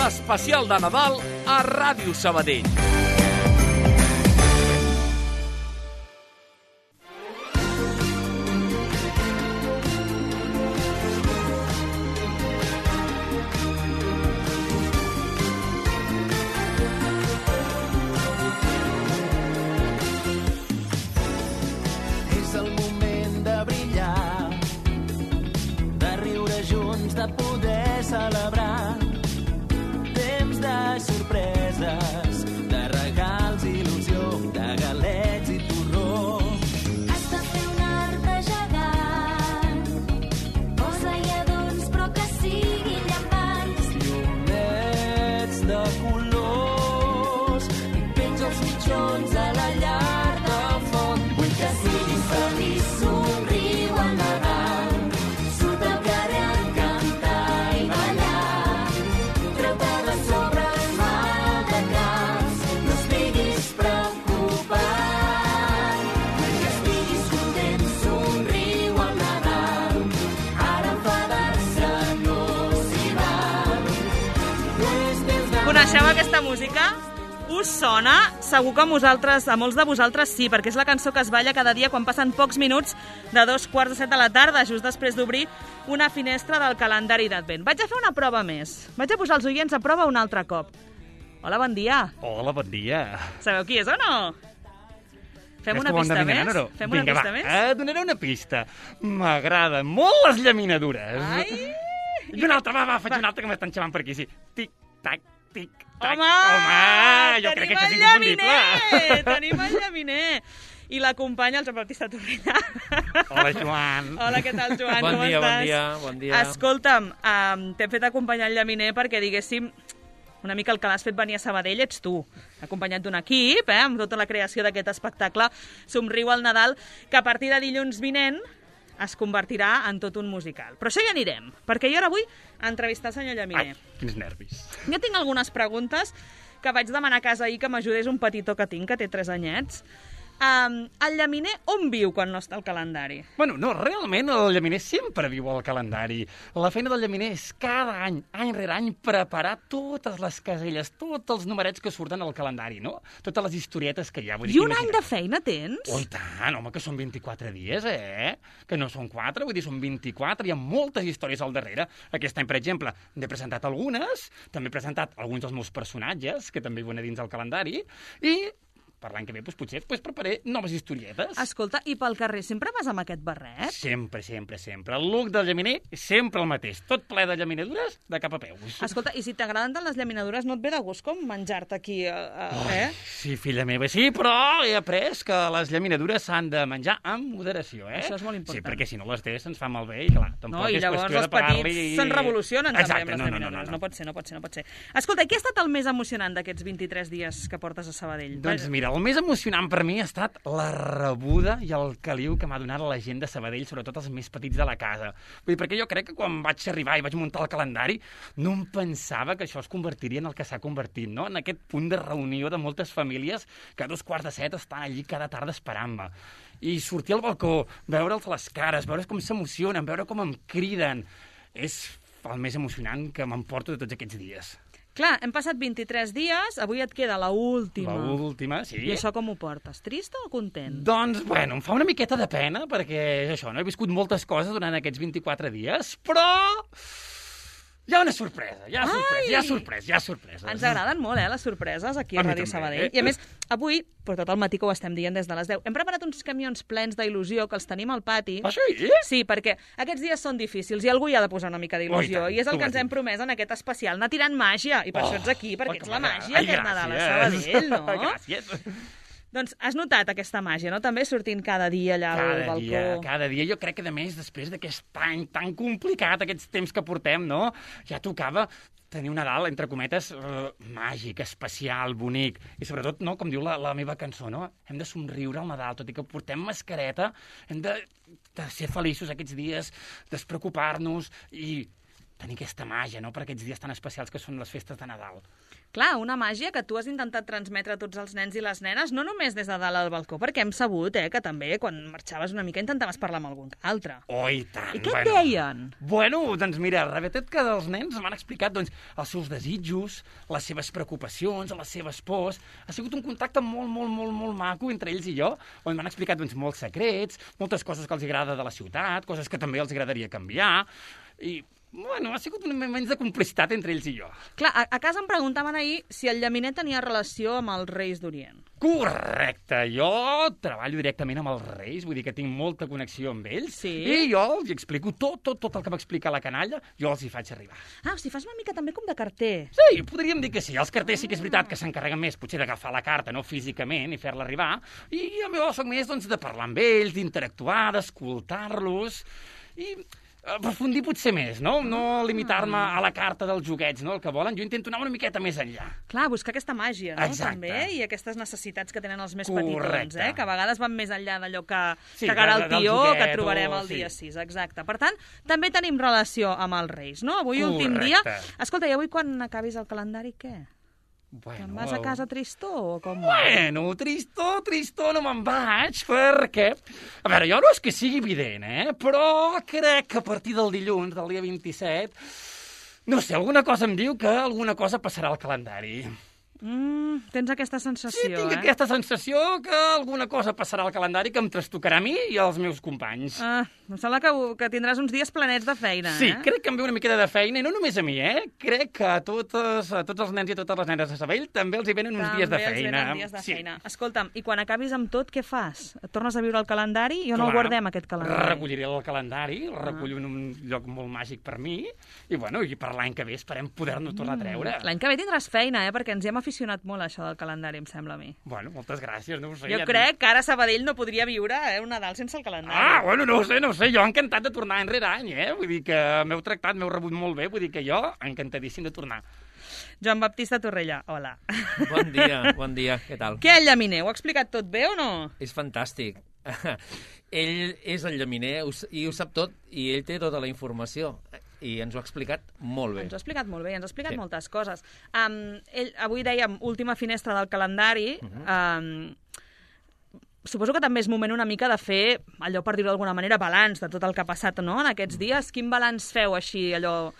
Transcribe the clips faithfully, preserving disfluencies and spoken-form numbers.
l'especial de Nadal a Ràdio Sabadell. És el moment de brillar, de riure junts, de poder celebrar. Temps de sorpreses, de regals, il·lusió, de galets i torró. Has de fer un arbre gegant, posa i adorns, però que siguin llampants. Llumets de colors i penja els mitjons a la llar del foc. Vull que siguis feliç, somriu al Nadal, surt al carrer a cantar i ballar. Treu-te de sobre el mal de caps, no estiguis preocupat. Vull que estiguis content, somriu al Nadal, ara enfadar-se no s'hi val. És temps de... Coneixeu aquesta música? Us sona? Segur que a vosaltres, a molts de vosaltres sí, perquè és la cançó que es balla cada dia quan passen pocs minuts de dos quarts de set de la tarda, just després d'obrir una finestra del calendari d'Advent. Vaig a fer una prova més. Vaig a posar els oients a prova un altre cop. Hola, bon dia. Hola, bon dia. Sabeu qui és o no? Fem una Creus que ho hem pista d'endevinar, més? no? Fem una Vinga, pista va, més? et donaré una pista. M'agraden molt les llaminadures. Ai! I una altra, va, va, faig una altra que m'estan xamant per aquí, sí. Tic, tac, tic, tac. Home! Home, jo crec que això és inconfundible. Llaminer! Tenim el llaminer! I l'acompanya el Joan Baptista Torrellà. Hola, Joan. Hola, què tal, Joan? Bon Com dia, estàs? bon dia, bon dia. Escolta'm, um, t'hem fet acompanyar el llaminer perquè, diguéssim, una mica el que l'has fet venir a Sabadell ets tu, acompanyat d'un equip, eh, amb tota la creació d'aquest espectacle Somriu al Nadal, que a partir de dilluns vinent es convertirà en tot un musical. Però això hi anirem, perquè jo ara vull entrevistar el senyor llaminer. Ai, quins nervis. Jo tinc algunes preguntes que vaig demanar a casa ahir que m'ajudés un petitó que tinc, que té tres anyets. Um, el llaminer on viu quan no està al calendari? Bueno, no, realment el llaminer sempre viu al calendari. La feina del llaminer és cada any, any rere any, preparar totes les caselles, tots els numerets que surten al calendari, no? Totes les historietes que hi ha. Vull dir, I un any imagina't. de feina tens? Oh, i tant, home, que són vint-i-quatre dies, eh? Que no són quatre, vull dir, són vint-i-quatre, hi ha moltes històries al darrere. Aquest any, per exemple, n'he presentat algunes, també he presentat alguns dels meus personatges, que també viuen a dins del calendari, i per l'any que ve, doncs, potser doncs, preparé noves historietes. Escolta, i pel carrer sempre vas amb aquest barret? Sempre, sempre, sempre. El look del llaminer és sempre el mateix, tot ple de llaminadures de cap a peus. Escolta, i si t'agraden tant les llaminadures, no et ve de gust com menjar-te aquí, eh, eh? Sí, filla meva, sí, però he après que les llaminadures s'han de menjar amb moderació, eh? Això és molt important. Sí, perquè si no les té se'ns fa malbé i, clar, tampoc No, i és llavors qüestió els de pagar-li... petits se'n revolucionen també Exacte, amb les no, no, no, llaminadures. no, No pot ser, no pot ser, no pot ser. Escolta, i què ha estat el més emocionant d'aquests vint-i-tres dies que portes a Sabadell? Doncs mira, el més emocionant per mi ha estat la rebuda i el caliu que m'ha donat la gent de Sabadell, sobretot els més petits de la casa. Vull dir, perquè jo crec que quan vaig arribar i vaig muntar el calendari no em pensava que això es convertiria en el que s'ha convertit, no? En aquest punt de reunió de moltes famílies que a dos quarts de set estan allí cada tarda esperant-me. I sortir al balcó, veure'ls les cares, veure com s'emocionen, veure com em criden, és el més emocionant que m'emporto de tots aquests dies. Clar, hem passat vint-i-tres dies, avui et queda la última. La última, sí. I això com ho portes? Trist o content? Doncs, bueno, em fa una miqueta de pena, perquè és això, no? He viscut moltes coses durant aquests vint-i-quatre dies, però hi ha una sorpresa, hi ha sorpresa, Ai! hi ha sorpresa, hi ha sorpresa. Ens agraden molt, eh, les sorpreses aquí a, A mi Ràdio també, Sabadell. eh? I a més, avui, per tot el matí que ho estem dient des de les deu, hem preparat uns camions plens d'il·lusió que els tenim al pati. Ah, sí? Sí, perquè aquests dies són difícils i algú hi ha de posar una mica d'il·lusió. Oh, i tant, I és el tu que ho ens has hem dit. promès en aquest especial, anar tirant màgia. I per Oh, això ets aquí, perquè oh, ets que la m'agrada. màgia Ai, aquest Nadal a gràcies. Sabadell, no? Gràcies. Doncs has notat aquesta màgia, no? També sortint cada dia allà al Cada balcó. dia, cada dia. Jo crec que, a més, després d'aquest any tan complicat, aquests temps que portem, no? Ja tocava tenir un Nadal, entre cometes, uh, màgic, especial, bonic. I sobretot, no, com diu la, la meva cançó, no? Hem de somriure al Nadal, tot i que portem mascareta, hem de, de ser feliços aquests dies, despreocupar-nos i tenir aquesta màgia, no?, per aquests dies tan especials que són les festes de Nadal. Clar, una màgia que tu has intentat transmetre a tots els nens i les nenes, no només des de dalt al balcó, perquè hem sabut eh, que també quan marxaves una mica intentaves parlar amb algun altre. Oh, i tant! I què et bueno. deien? Bueno, doncs mira, la veritat que els nens m'han explicat doncs, els seus desitjos, les seves preocupacions, les seves pors. Ha sigut un contacte molt, molt, molt, molt maco entre ells i jo, on m'han explicat doncs, molts secrets, moltes coses que els agrada de la ciutat, coses que també els agradaria canviar, i... Bueno, ha sigut un moment de complicitat entre ells i jo. Clar, a, a casa em preguntaven ahir si el llaminer tenia relació amb els Reis d'Orient. Correcte, jo treballo directament amb els Reis, vull dir que tinc molta connexió amb ells, Sí? i jo els explico tot, tot, tot el que m'explica la canalla, jo els hi faig arribar. Ah, o sigui, fas una mica també com de carter. Sí, podríem dir que sí. Els carters sí que és veritat que s'encarreguen més, potser d'agafar la carta, no físicament, i fer-la arribar, i jo soc més doncs, de parlar amb ells, d'interactuar, d'escoltar-los, i... aprofundir potser més, no? No limitar-me a la carta dels joguets, no? El que volen, jo intento anar una miqueta més enllà. Clar, buscar aquesta màgia, no? Exacte. També, i aquestes necessitats que tenen els més Correcte. petitons, eh? Que a vegades van més enllà d'allò que, Sí, que cara de- el del tió, joguet que trobarem o- el dia sí. sis, exacte. Per tant, també tenim relació amb els Reis, no? Avui últim dia... Correcte. Escolta, i avui quan acabis el calendari, què? Bueno, Te'n vas a casa tristó o com? Bueno, tristó, tristó no me'n vaig, perquè... A veure, jo no és que sigui evident, eh? Però crec que a partir del dilluns, del dia vint-i-set, no sé, alguna cosa em diu que alguna cosa passarà al calendari. Mm, tens aquesta sensació, Sí, tinc eh? aquesta sensació que alguna cosa passarà al calendari que em trastocarà a mi i als meus companys. Ah, em sembla que, que tindràs uns dies planets de feina, Sí, eh? crec que em ve una miqueta de feina, i no només a mi, eh? Crec que a, totes, a tots els nens i a totes les nenes de Sabell també els hi venen uns dies de També els feina. venen dies de Sí. feina. Escolta'm, i quan acabis amb tot, què fas? Et tornes a viure el calendari i on el Clar, guardem, aquest calendari? Recolliré el calendari, el recullo en un lloc molt màgic per mi, i bueno, i per l'any que ve esperem poder-nos tornar a treure. L'any que ve tindràs feina, eh? Perquè ens hi hem aficionat molt a això del calendari, em sembla a mi. Bueno, moltes gràcies, no ho sé. Jo ja crec que ara Sabadell no podria viure eh, un Nadal sense el calendari. Ah, bueno, no ho sé, no ho sé, jo encantat de tornar any rere any, eh? Vull dir que m'heu tractat, m'heu rebut molt bé, vull dir que jo encantadíssim de tornar. Joan Baptista Torrella, hola. Bon dia, bon dia, què tal? Què, el llaminer? Ho ha explicat tot bé o no? És fantàstic. Ell és el llaminer ho s- i ho sap tot, i ell té tota la informació, i ens ho ha explicat molt bé. Ens ho ha explicat molt bé, ens ha explicat Sí. moltes coses. Um, ell, avui dèiem última finestra del calendari. Uh -huh. um, suposo que també és moment una mica de fer, allò per dir-ho d'alguna manera, balanç de tot el que ha passat no? en aquests dies. Quin balanç feu així, allò,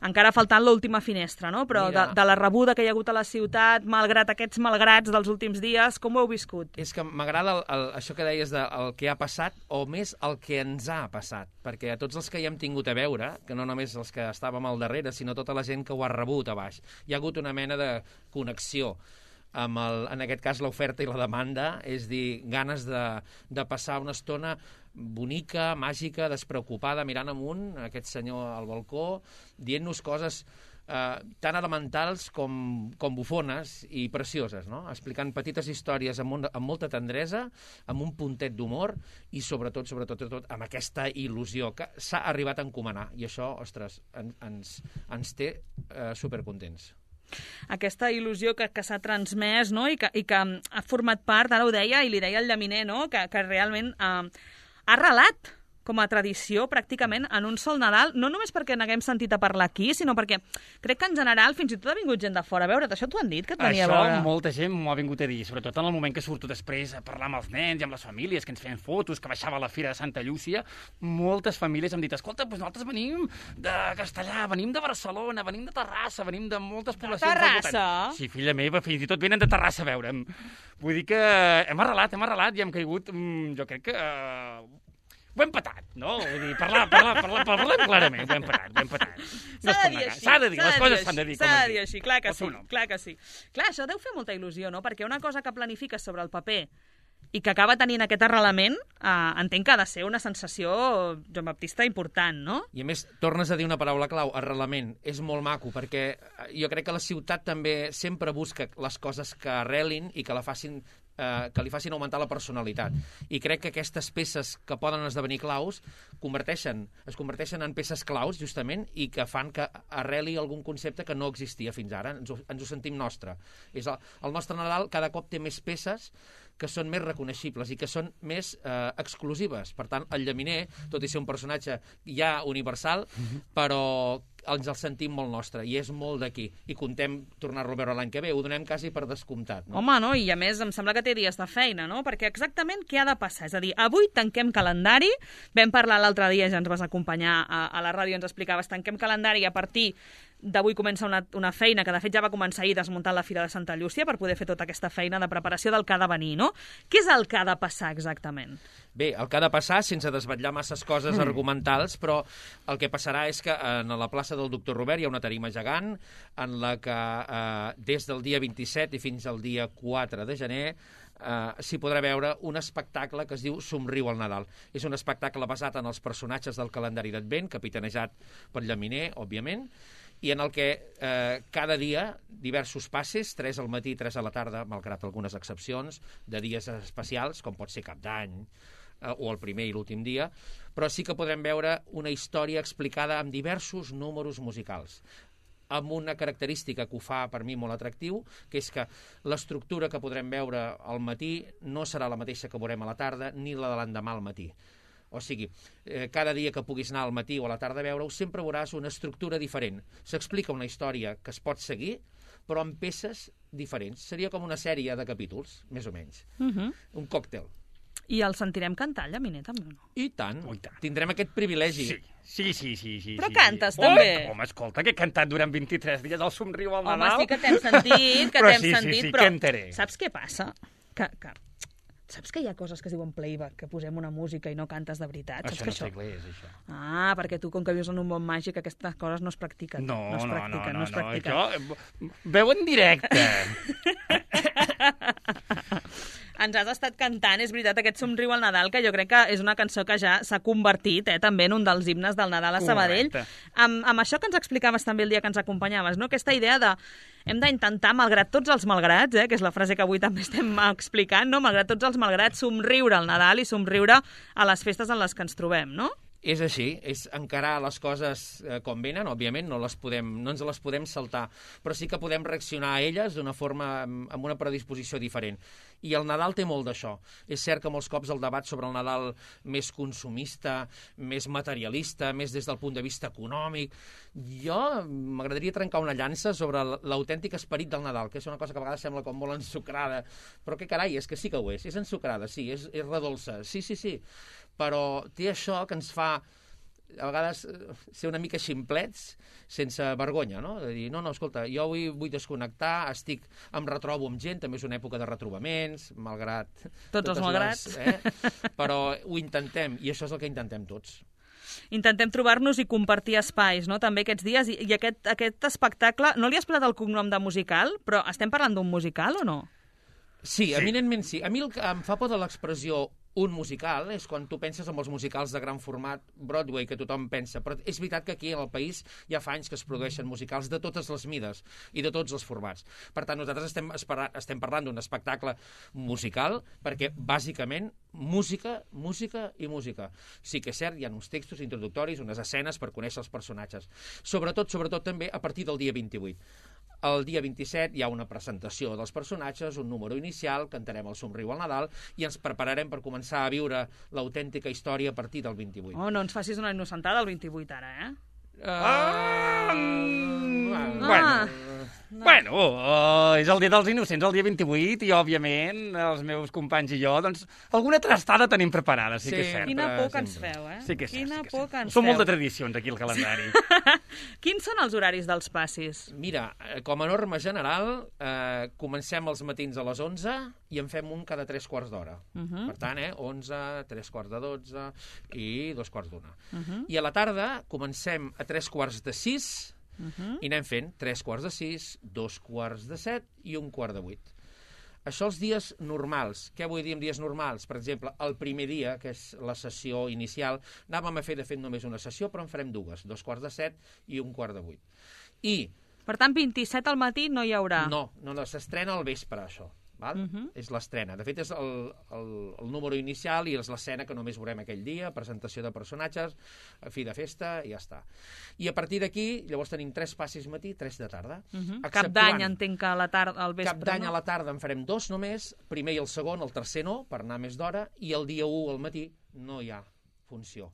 encara faltant l'última finestra, no? Però Mira. de, de la rebuda que hi ha hagut a la ciutat, malgrat aquests malgrats dels últims dies, com ho heu viscut? És que m'agrada el, el, això que deies del de, el que ha passat, o més el que ens ha passat, perquè a tots els que hi hem tingut a veure, que no només els que estàvem al darrere, sinó tota la gent que ho ha rebut a baix, hi ha hagut una mena de connexió amb, el, en aquest cas, l'oferta i la demanda, és dir, ganes de, de passar una estona bonica, màgica, despreocupada, mirant amunt, aquest senyor al balcó, dient-nos coses eh, tan elementals com, com bufones i precioses, no? Explicant petites històries amb, un, amb molta tendresa, amb un puntet d'humor i sobretot, sobretot, sobretot, amb aquesta il·lusió que s'ha arribat a encomanar. I això, ostres, en, ens, ens té eh, supercontents. Aquesta il·lusió que, que s'ha transmès no? I, que, i que ha format part, ara ho deia, i li deia el llaminer, no? que, que realment eh, ha arrelat com a tradició, pràcticament, en un sol Nadal, no només perquè n'haguem sentit a parlar aquí, sinó perquè crec que en general fins i tot ha vingut gent de fora a veure't. Això t'ho han dit, que et venia Això a veure? molta gent m'ho ha vingut a dir, sobretot en el moment que surto després a parlar amb els nens i amb les famílies, que ens feien fotos, que baixava a la Fira de Santa Llúcia. Moltes famílies hem dit, escolta, doncs nosaltres venim de Castellà, venim de Barcelona, venim de Terrassa, venim de moltes poblacions del voltant. Terrassa? Sí, filla meva, fins i tot venen de Terrassa a veure'm. Vull dir que hem arrelat, hem arrelat i hem caigut, mm, jo crec que... Uh, ho hem patat, no? Vull dir, parlar, parlar, parlar, parlar clarament, ho hem patat, ho hem patat. No es S'ha pot de dir negar. així. S'ha de dir, s'ha les de coses dir s'han de dir així, com S'ha es de dir diu. així, clar que O tu sí, no? clar que sí. Clar, això deu fer molta il·lusió, no? Perquè una cosa que planifiques sobre el paper i que acaba tenint aquest arrelament, eh, entenc que ha de ser una sensació, Joan Baptista, important, no? I a més, tornes a dir una paraula clau, arrelament. És molt maco, perquè jo crec que la ciutat també sempre busca les coses que arrelin i que la facin eh, que li facin augmentar la personalitat. I crec que aquestes peces que poden esdevenir claus converteixen, es converteixen en peces claus, justament, i que fan que arreli algun concepte que no existia fins ara. Ens ho, ens ho sentim nostre. És el, el nostre Nadal cada cop té més peces que són més reconeixibles i que són més eh, exclusives. Per tant, el llaminer, tot i ser un personatge ja universal, però ens el sentim molt nostre, i és molt d'aquí. I contem tornar-lo a veure l'any que ve, ho donem quasi per descomptat. No? Home, no? I a més em sembla que té dies de feina, no? Perquè exactament què ha de passar? És a dir, avui tanquem calendari, vam parlar l'altre dia, ja ens vas acompanyar a, a la ràdio, ens explicaves, tanquem calendari i a partir d'avui comença una, una feina que de fet ja va començar ahir desmuntant la Fira de Santa Llúcia per poder fer tota aquesta feina de preparació del que ha de venir, no? Què és el que ha de passar exactament? Bé, el que ha de passar, sense desvetllar masses coses mm. argumentals, però el que passarà és que en la plaça del doctor Robert hi ha una tarima gegant en la que eh, des del dia vint-i-set i fins al dia quatre de gener Uh, s'hi podrà veure un espectacle que es diu Somriu al Nadal. És un espectacle basat en els personatges del calendari d'Advent, capitanejat per Llaminer, òbviament, i en el que eh, cada dia diversos passes, tres al matí, tres a la tarda, malgrat algunes excepcions, de dies especials, com pot ser Cap d'Any, eh, o el primer i l'últim dia, però sí que podrem veure una història explicada amb diversos números musicals, amb una característica que ho fa per mi molt atractiu, que és que l'estructura que podrem veure al matí no serà la mateixa que veurem a la tarda ni la de l'endemà al matí. O sigui, eh, cada dia que puguis anar al matí o a la tarda a veure-ho, sempre veuràs una estructura diferent. S'explica una història que es pot seguir, però amb peces diferents. Seria com una sèrie de capítols, més o menys. Uh -huh. Un còctel. I el sentirem cantar, Llaminer, també, o no? I tant. Oh, i tant. Tindrem aquest privilegi. Sí. Sí, sí, sí. sí Però sí, cantes, sí. també. Oh, home, escolta, que he cantat durant vint-i-tres dies al Somriu al Home, Nadal. sí que t'hem sentit, que Però t'hem sí, sí, sentit, sí, però cantaré. saps què passa? Que, que, saps que hi ha coses que es diuen playback, que posem una música i no cantes de veritat? Saps Això que no sé què és, això. Ah, perquè tu, com que vius en un món màgic, aquestes coses no es practiquen. No, no es no, practiquen, no, no, es no, practiquen. això... Veu en directe. Ens has estat cantant, és veritat, aquest Somriu al Nadal, que jo crec que és una cançó que ja s'ha convertit eh, també en un dels himnes del Nadal a Sabadell. Amb, amb això que ens explicaves també el dia que ens acompanyaves, no? Aquesta idea de hem d'intentar, malgrat tots els malgrats, eh, que és la frase que avui també estem explicant, no? Malgrat tots els malgrats, somriure al Nadal i somriure a les festes en les que ens trobem, no? És així, és encarar les coses eh, com venen, òbviament, no, les podem, no ens les podem saltar, però sí que podem reaccionar a elles d'una forma, amb, amb una predisposició diferent. I el Nadal té molt d'això. És cert que molts cops el debat sobre el Nadal més consumista, més materialista, més des del punt de vista econòmic, jo m'agradaria trencar una llança sobre l'autèntic esperit del Nadal, que és una cosa que a vegades sembla com molt ensucrada, però que carai, és que sí que ho és, és ensucrada, sí, és, és redolça, sí, sí, sí, però té això que ens fa a vegades ser una mica ximplets sense vergonya, no? De dir, no, no, escolta, jo avui vull desconnectar, estic, em retrobo amb gent, també és una època de retrobaments, malgrat... Tots els malgrats. Les, eh? Però ho intentem, i això és el que intentem tots. Intentem trobar-nos i compartir espais, no?, també aquests dies. I, i aquest, aquest espectacle, no li has posat el cognom de musical, però estem parlant d'un musical o no? Sí, sí, eminentment sí. A mi el que em fa por de l'expressió un musical és quan tu penses en els musicals de gran format Broadway, que tothom pensa, però és veritat que aquí al país ja fa anys que es produeixen musicals de totes les mides i de tots els formats. Per tant, nosaltres estem, espera, estem parlant d'un espectacle musical perquè, bàsicament, música, música i música. Sí que és cert, hi ha uns textos introductoris, unes escenes per conèixer els personatges. Sobretot, sobretot també a partir del dia vint-i-vuit. El dia vint-i-set hi ha una presentació dels personatges, un número inicial, cantarem el Somriu al Nadal i ens prepararem per començar a viure l'autèntica història a partir del vint-i-vuit. Oh, no ens facis una innocentada el vint-i-vuit ara, eh? Uh, ah, bueno, no. bueno uh, és el dia dels innocents, el dia vint-i-vuit, i, òbviament, els meus companys i jo, doncs, alguna trastada tenim preparada, sí, sí que és cert. Quina por que ens feu, eh? Sí que és cert. Quina sí que por que ens Som feu. molt de tradicions, aquí, al calendari. Quins són els horaris dels passis? Mira, com a norma general, eh, comencem els matins a les onze i en fem un cada tres quarts d'hora. Uh -huh. Per tant, eh, onze, tres quarts de dotze i dos quarts d'una. Uh -huh. I a la tarda comencem a tres quarts de sis Uh -huh. i anem fent tres quarts de sis, dos quarts de set i un quart de vuit. Això els dies normals. Què vull dir amb dies normals? Per exemple, el primer dia, que és la sessió inicial, anàvem a fer, de fet, només una sessió, però en farem dues, dos quarts de set i un quart de vuit. I... Per tant, vint-i-set al matí no hi haurà. No, no, no s'estrena al vespre, això. Val? Uh -huh. És l'estrena. De fet, és el, el, el número inicial i és l'escena que només veurem aquell dia, presentació de personatges, fi de festa, i ja està. I a partir d'aquí, llavors tenim tres passis matí, tres de tarda. Uh -huh. Cap d'any entenc que a la tarda, al vespre, Cap d'any no? a la tarda en farem dos només, primer i el segon, el tercer no, per anar més d'hora, i el dia u al matí no hi ha funció.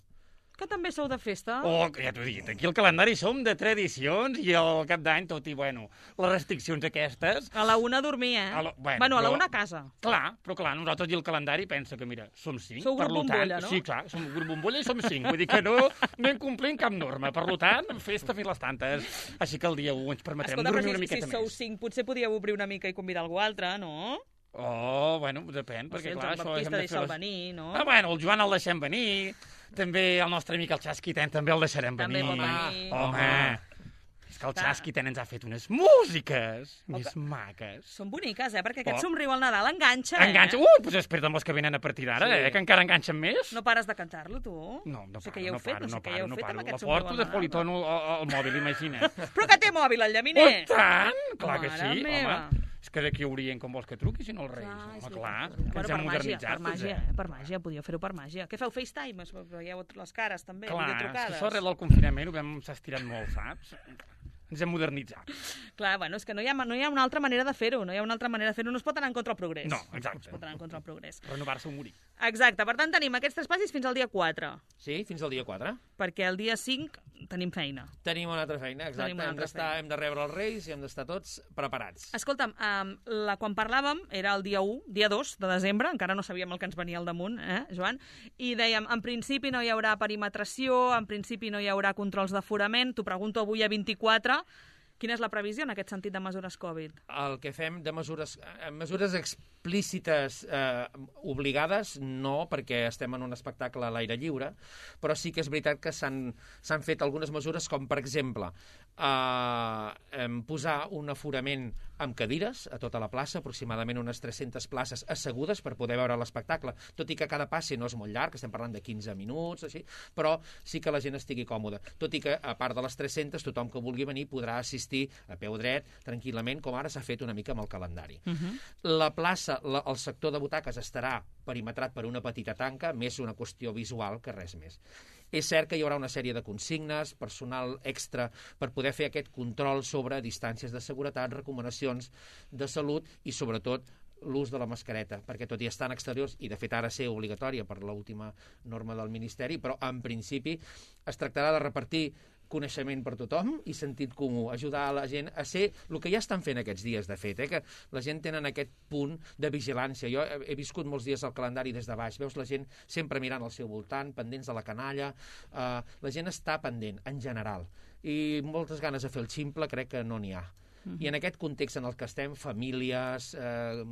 Que també sou de festa? Oh, ja t'ho he dit, aquí al calendari som de tradicions i al cap d'any, tot i, bueno, les restriccions aquestes... A la una a dormir, eh? A la- bueno, bueno, a la però- una a casa. Clar, però clar, nosaltres i el calendari pensa que, mira, som cinc, Sou per grup tant... bombolla, no? Sí, clar, som grup bombolla i som cinc, vull dir que no, no incomplint cap norma. Per tant, festa fins les tantes. Així que el dia u ens permetrem Escolta, però dormir si, una miqueta si sou més. cinc, potser podíeu obrir una mica i convidar algú altre, no? Oh, bueno, depèn, O perquè sigui, el clar, Joan això... Baptista hem de fer deixa'l les- venir, no? Ah, bueno, el Joan el deixem venir, també el nostre amic el Xasquiten també el deixarem També venir. pot venir. Home, és que el Clar. Xasquiten ens ha fet unes músiques O més que- maques. Són boniques, eh? Perquè aquest Oh. somriu al Nadal enganxa, eh? Enganxa, ui, doncs espera't amb les que venen a partir d'ara, Sí. eh, que encara enganxen més. No pares de cantar-lo, tu? No, no sé paro, què hi heu no fet, paro, no sé no què hi heu paro, no fet paro. amb La aquest somriu porto al de Nadal. politono al, al mòbil, imagina't. Però que té mòbil, el llaminer! Oh, tant! Clar que Mare sí, meva. home. És que d'aquí haurien com vols que truqui, si no els Reis. Clar, és Home, veritat, clar, és que veritat. ens Bueno, hem per màgia, modernitzat. per màgia, tots, eh? Per màgia, podíeu fer-ho per màgia. Què feu, FaceTime? Es veieu les cares, també, Clar, és que videotrucades? això arrel del confinament ho vam s'ha estirat molt, saps? Ens hem modernitzat. Clar, bueno, és que no hi ha, no hi ha una altra manera de fer-ho, no hi ha una altra manera de fer-ho, no es pot anar en contra del progrés. No, exacte. No es pot anar en contra del progrés. Renovar-se o morir. Exacte, per tant tenim aquests tres passis fins al dia quatre, Sí, fins al dia quatre. perquè el dia cinc tenim feina. Tenim una altra feina, exacte. Tenim una Hem altra d'estar, feina. hem de rebre els Reis i hem d'estar tots preparats. Escolta'm, um, la, quan parlàvem era el dia u, dia dos de desembre, encara no sabíem el que ens venia al damunt, eh, Joan? I dèiem, en principi no hi haurà perimetració, en principi no hi haurà controls d'aforament. T'ho pregunto avui a vint-i-quatre, quina és la previsió en aquest sentit de mesures Covid? El que fem de mesures, eh, mesures explícites eh, obligades, no, perquè estem en un espectacle a l'aire lliure, però sí que és veritat que s'han s'han fet algunes mesures, com per exemple eh, em, posar un aforament amb cadires a tota la plaça, aproximadament unes tres-centes places assegudes per poder veure l'espectacle, tot i que cada passe no és molt llarg, estem parlant de quinze minuts, així, però sí que la gent estigui còmoda, tot i que a part de les tres-centes tothom que vulgui venir podrà assistir a peu dret, tranquil·lament, com ara s'ha fet una mica amb el calendari. Uh -huh. La plaça, la, el sector de butaques estarà perimetrat per una petita tanca, més una qüestió visual que res més. És cert que hi haurà una sèrie de consignes, personal extra, per poder fer aquest control sobre distàncies de seguretat, recomanacions de salut i, sobretot, l'ús de la mascareta, perquè tot i estar en exteriors, i de fet ara ser obligatòria per l'última norma del Ministeri, però en principi es tractarà de repartir coneixement per tothom i sentit comú, ajudar a la gent a ser el que ja estan fent aquests dies, de fet, eh? Que la gent tenen aquest punt de vigilància. Jo he, he viscut molts dies al calendari des de baix, veus la gent sempre mirant al seu voltant, pendents de la canalla, eh, la gent està pendent, en general, i moltes ganes de fer el ximple crec que no n'hi ha. I en aquest context en el que estem, famílies, eh,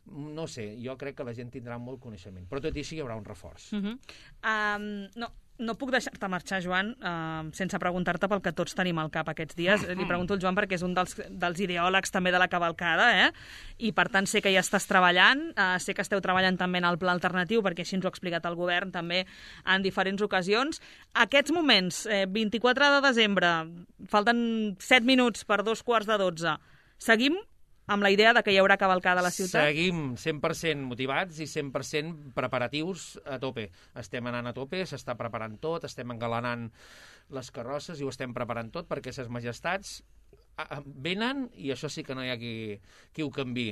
no sé, jo crec que la gent tindrà molt coneixement, però tot i així hi haurà un reforç. Uh -huh. um, no, no puc deixar-te marxar, Joan, uh, sense preguntar-te pel que tots tenim al cap aquests dies. Li pregunto al Joan perquè és un dels, dels ideòlegs també de la cavalcada, eh? I per tant sé que ja estàs treballant, uh, sé que esteu treballant també en el pla alternatiu, perquè així ens ho ha explicat el govern també en diferents ocasions. Aquests moments, eh, vint-i-quatre de desembre, falten set minuts per dos quarts de dotze, seguim amb la idea de que hi haurà cavalcada a la ciutat? Seguim cent per cent motivats i cent per cent preparatius a tope. Estem anant a tope, s'està preparant tot, estem engalanant les carrosses i ho estem preparant tot perquè ses majestats venen i això sí que no hi ha qui, qui ho canvi.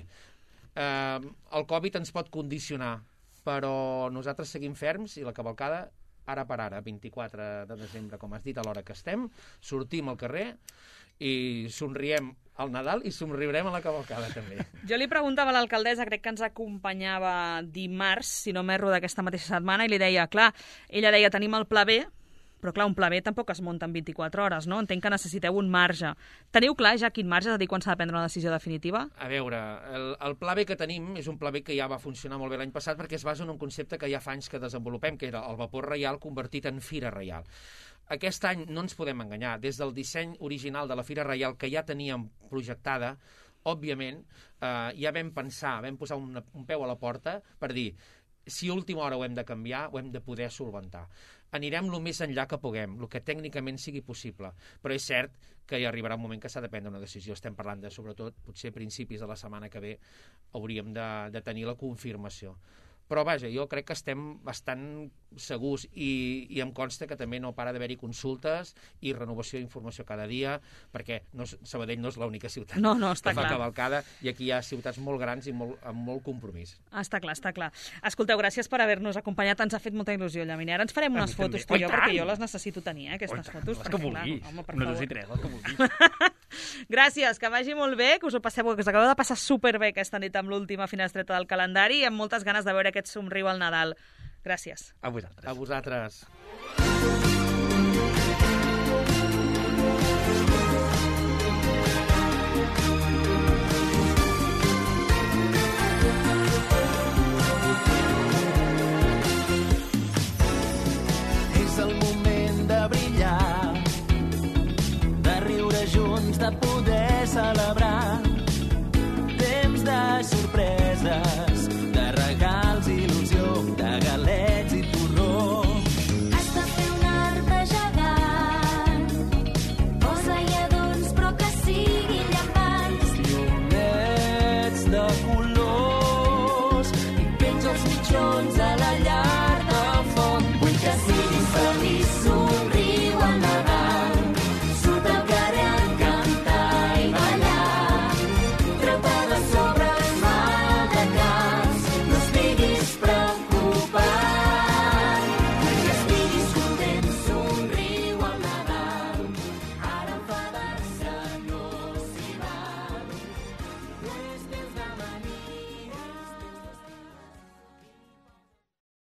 Eh, el Covid ens pot condicionar, però nosaltres seguim ferms i la cavalcada ara per ara, vint-i-quatre de desembre, com has dit, a l'hora que estem, sortim al carrer i somriem al Nadal i somriurem a la cavalcada també. Jo li preguntava a l'alcaldessa, crec que ens acompanyava dimarts, si no m'erro, d'aquesta mateixa setmana, i li deia, clar, ella deia, tenim el pla B, però clar, un pla B tampoc es munta en vint-i-quatre hores, no? Entenc que necessiteu un marge. Teniu clar ja quin marge, és a dir, quan s'ha de prendre una decisió definitiva? A veure, el, el pla B que tenim és un pla B que ja va funcionar molt bé l'any passat perquè es basa en un concepte que ja fa anys que desenvolupem, que era el vapor reial convertit en fira reial. Aquest any no ens podem enganyar. Des del disseny original de la Fira Reial, que ja teníem projectada, òbviament, eh, ja vam pensar, vam posar un, un peu a la porta per dir, si a última hora ho hem de canviar, ho hem de poder solventar. Anirem el més enllà que puguem, el que tècnicament sigui possible, però és cert que hi arribarà un moment que s'ha de prendre una decisió. Estem parlant de, sobretot, potser a principis de la setmana que ve hauríem de, de tenir la confirmació. Però, vaja, jo crec que estem bastant segurs i, i em consta que també no para d'haver-hi consultes i renovació d'informació cada dia, perquè no, Sabadell no és l'única ciutat No, no, està que fa clar. cavalcada, i aquí hi ha ciutats molt grans i molt, amb molt compromís. Està clar, està clar. Escolteu, gràcies per haver-nos acompanyat. Ens ha fet molta il·lusió, Llaminé. Ara ens farem A unes mi també. fotos tu i Oh, jo, i perquè tant! jo les necessito tenir, eh, aquestes Oh, fotos. les que perquè, clar, vulguis. home, per Una, favor. dos i tres, les que vulguis. Gràcies, que vagi molt bé, que us ho passeu, que us acabeu de passar superbé aquesta nit amb l'última finestreta del calendari i amb moltes ganes de veure aquest somriu al Nadal. Gràcies. A vosaltres. A vosaltres.